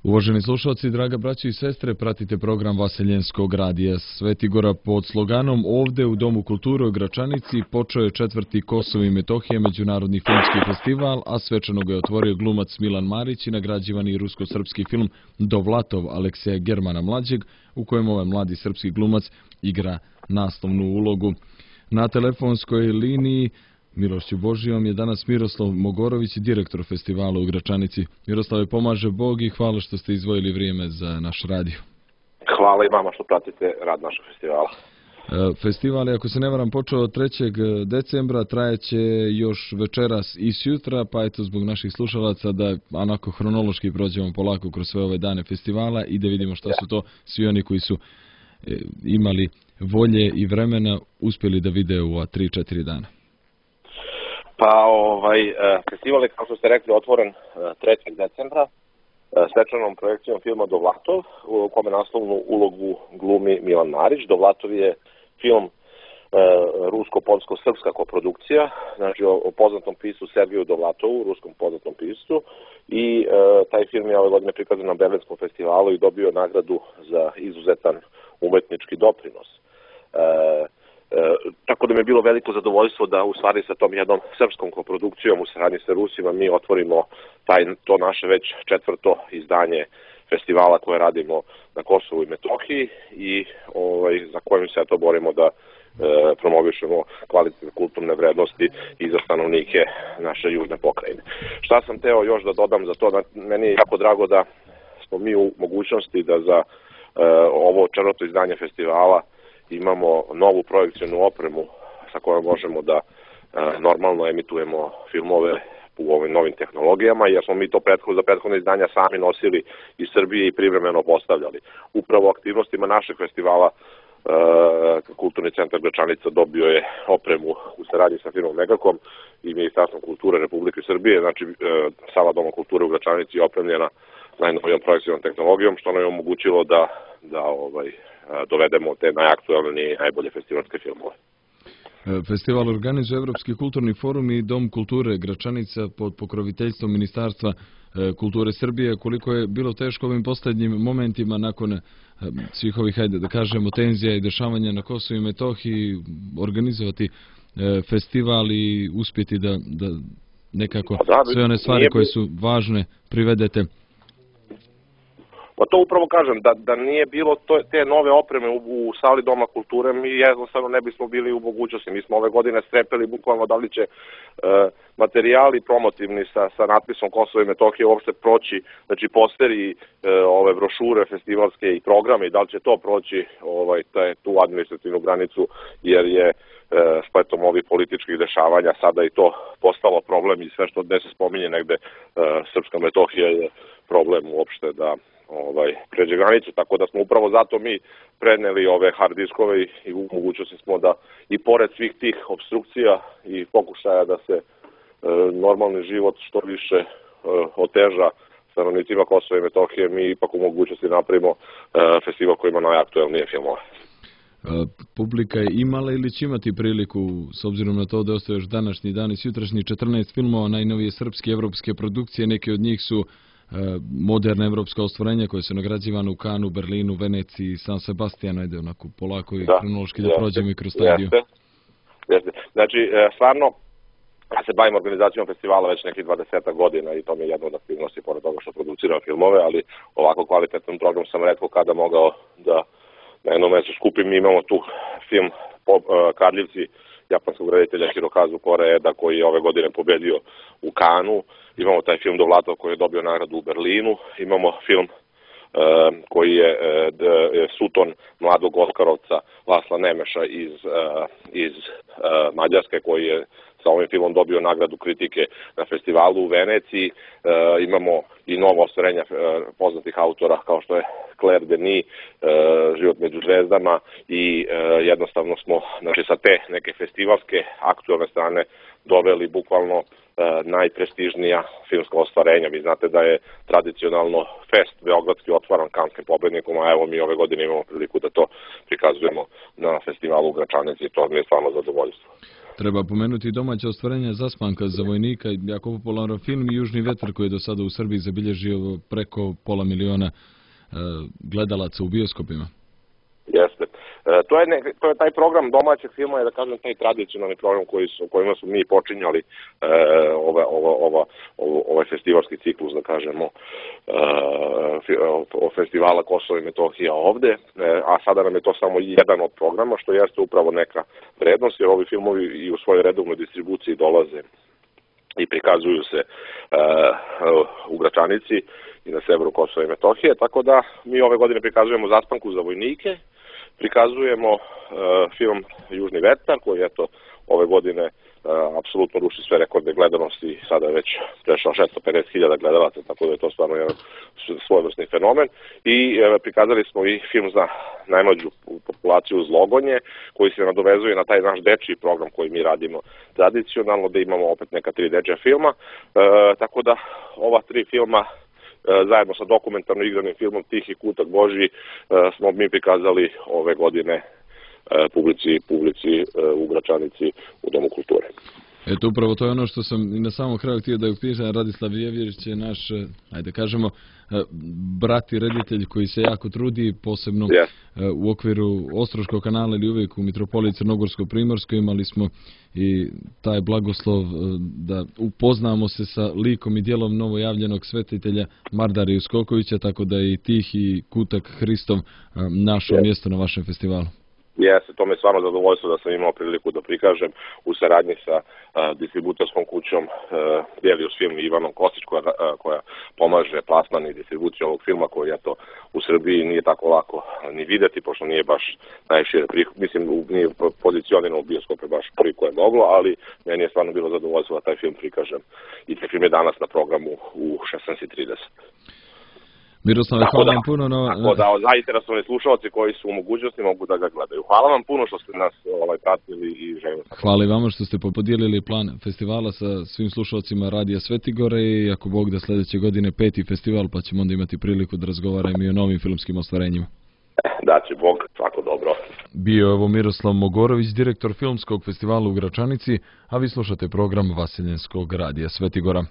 Uvaženi slušalci, draga braćo i sestre, pratite program Vaseljenskog radija Svetigora pod sloganom Ovde u Domu kulture u Gračanici počeo je 4. Kosovo i Metohija međunarodni filmski festival, a svečano ga je otvorio glumac Milan Marić i nagrađivani rusko-srpski film Dovlatov Alekseja Germana Mlađeg, u kojem ovaj mladi srpski glumac igra naslovnu ulogu. Na telefonskoj liniji Milošću Božijom je danas Miroslav Mogorović, direktor festivala u Gračanici. Miroslave, pomaže Bog i hvala što ste izdvojili vrijeme za naš radio. Hvala i vama što pratite rad našeg festivala. Festival je, ako se ne varam, počeo od 3. decembra, trajeće još večeras i sutra, pa eto zbog naših slušalaca da onako hronološki prođemo polako kroz sve ove dane festivala i da vidimo šta su to svi oni koji su imali volje i vremena uspjeli da vide u 3-4 dana. Pa festival je, kao što ste rekli, otvoren 3. decembra svečanom projekcijom filma Dovlatov, u kome naslovnu ulogu glumi Milan Marić. Dovlatov je film rusko-polsko-srpska koprodukcija, znači o poznatom piscu Sergeju Dovlatovu, ruskom poznatom piscu, i taj film je ove godine prikazan na Berlinskom festivalu i dobio nagradu za izuzetan umetnički doprinos. Tako da mi je bilo veliko zadovoljstvo da u stvari sa tom jednom srpskom koprodukcijom u saradnji sa Rusima mi otvorimo to naše već 4. izdanje festivala koje radimo na Kosovu i Metohiji i za kojim se to borimo da promovišemo kvalitetne kulturne vrednosti i za stanovnike naše južne pokrajine. Šta sam teo još da dodam za to, meni je jako drago da smo mi u mogućnosti da za ovo 4. izdanje festivala imamo novu projekcijnu opremu sa kojom možemo da normalno emitujemo filmove u ovim novim tehnologijama, jer smo mi to za prethodne izdanja sami nosili iz Srbije i privremeno postavljali. Upravo aktivnostima našeg festivala Kulturni centar Gračanica dobio je opremu u saradnji sa firmom Megakom i Ministarstvom kulture Republike Srbije, znači sala Doma kulture u Gračanici je opremljena najnovijom projekcijnom tehnologijom, što nam je omogućilo da dovedemo te najaktualnije i najbolje festivalske filmove. Festival organizuje Evropski kulturni forum i Dom kulture Gračanica pod pokroviteljstvom Ministarstva kulture Srbije. Koliko je bilo teško ovim posljednjim momentima nakon svih ovih, hajde da kažemo, tenzija i dešavanja na Kosovu i Metohiji organizovati festival i uspjeti da nekako sve one stvari koje su važne privedete? Pa to upravo kažem, da nije bilo te nove opreme u sali Doma kulture, mi jednostavno ne bismo bili u mogućnosti. Mi smo ove godine strepeli bukvalno da li će materijali promotivni sa natpisom Kosovo i Metohije uopšte proći, znači posteri, ove brošure festivalske i programe, i da li će to proći tu administrativnu granicu, jer je spletom ovih političkih dešavanja sada i to postalo problem i sve što gde se spominje negde Srpska Metohija je problem uopšte da pređe granicu, tako da smo upravo zato mi preneli ove hard diskove i u mogućnosti smo da i pored svih tih obstrukcija i pokušaja da se normalni život što više oteža stanovnicima Kosova i Metohije, mi ipak u mogućnosti napravimo festival koji ima najaktuelnije filmove. Publika je imala ili će imati priliku, s obzirom na to da ostaje još današnji dan i sutrašnji 14 filmova, najnovije srpske i evropske produkcije, neke od njih su moderna evropska ostvarenja koje su nagrađivane u Kanu, Berlinu, Veneciji, San Sebastianu, ajde onako polako i kronološki da prođemo i kroz taj dio. Znači, stvarno, ja se bavim organizacijom festivala već nekih 20 godina i to mi je jedna od aktivnosti, pored toga što produciram filmove, ali ovako kvalitetan program sam retko kada mogao da na jednom mjestu skupim. Mi imamo tu film Kradljivci japanskog reditelja Hirokazu Koreeda koji je ove godine pobedio u Kanu. Imamo taj film Dovlatov koji je dobio nagradu u Berlinu. Imamo film koji je Suton mladog Oskarovca Lasla Nemeša iz Mađarske, koji je sa ovim filmom dobio nagradu kritike na festivalu u Veneciji. Imamo i novo ostvarenja poznatih autora kao što je Claire Denis, Život među zvezdama, i jednostavno smo sa te neke festivalske aktualne strane doveli bukvalno najprestižnija filmska ostvarenja. Vi znate da je tradicionalno fest beogradski otvaran Kanskim pobednikom, a evo mi ove godine imamo priliku da to prikazujemo na festivalu u Gračanici i to mi je stvarno zadovoljstvo. Treba pomenuti domaća ostvarenja Zaspanka za vojnika, jako popularan film i Južni vetar koji je do sada u Srbiji zabilježio preko 500.000 gledalaca u bioskopima. Jeste. To je taj program domaćeg filma, je da kažem taj tradicionalni program kojima smo mi počinjali ovaj festivalski ciklus, da kažemo, festivala Kosovo i Metohija ovde, a sada nam je to samo jedan od programa, što jeste upravo neka vrednost, jer ovi filmovi i u svojoj redovnoj distribuciji dolaze i prikazuju se u Gračanici i na severu Kosova i Metohije, tako da mi ove godine prikazujemo Zaspanku za vojnike, prikazujemo film Južni vetar, koji eto ove godine apsolutno ruši sve rekorde gledanosti, sada je već prešao 650.000 gledalaca, tako da je to stvarno jedan svojevrsni fenomen. I prikazali smo i film za najmlađu populaciju Zlogonje, koji se nadovezuje na taj naš dečiji program koji mi radimo tradicionalno, da imamo opet neka 3 dečja filma, tako da ova 3 filma zajedno sa dokumentarno igranim filmom Tihi kutak Božji smo mi prikazali ove godine publici u Gračanici u Domu kulture. Eto, upravo to je ono što sam i na samom kraju htio da upišem. Radislav Jevjerić je naš, ajde kažemo, brat i reditelj koji se jako trudi, posebno u okviru Ostroškog kanala ili uvijek u Mitropoliji Crnogorsko-Primorskoj. Imali smo i taj blagoslov da upoznamo se sa likom i djelom novojavljenog svetitelja Mardara Uskokovića, tako da i Tihi kutak Hristov našao mjesto na vašem festivalu. Jeste, to me je stvarno zadovoljstvo da sam imao priliku da prikažem u saradnji sa distributorskom kućom Delius Film i Ivanom Kostić koja pomaže plasman i distribuciju ovog filma koji eto u Srbiji nije tako lako ni videti, pošto nije baš najšire mislim nije pozicioniran u bioskope baš koliko je moglo, ali meni je stvarno bilo zadovoljstvo da taj film prikažem i taj film je danas na programu u 16:30. Miroslave, hvala vam puno. Tako da zainteresovani slušalci koji su u mogućnosti mogu da ga gledaju. Hvala vam puno što ste nas pratili i želim. Hvala i vama što ste podijelili plan festivala sa svim slušalcima Radija Svetigore i ako Bog da sljedeće godine 5. festival, pa ćemo onda imati priliku da razgovaramo i o novim filmskim ostvarenjima. Da će Bog, svako dobro. Bio je ovo Miroslav Mogorović, direktor filmskog festivala u Gračanici, a vi slušate program Vaseljenskog radija Svetigora.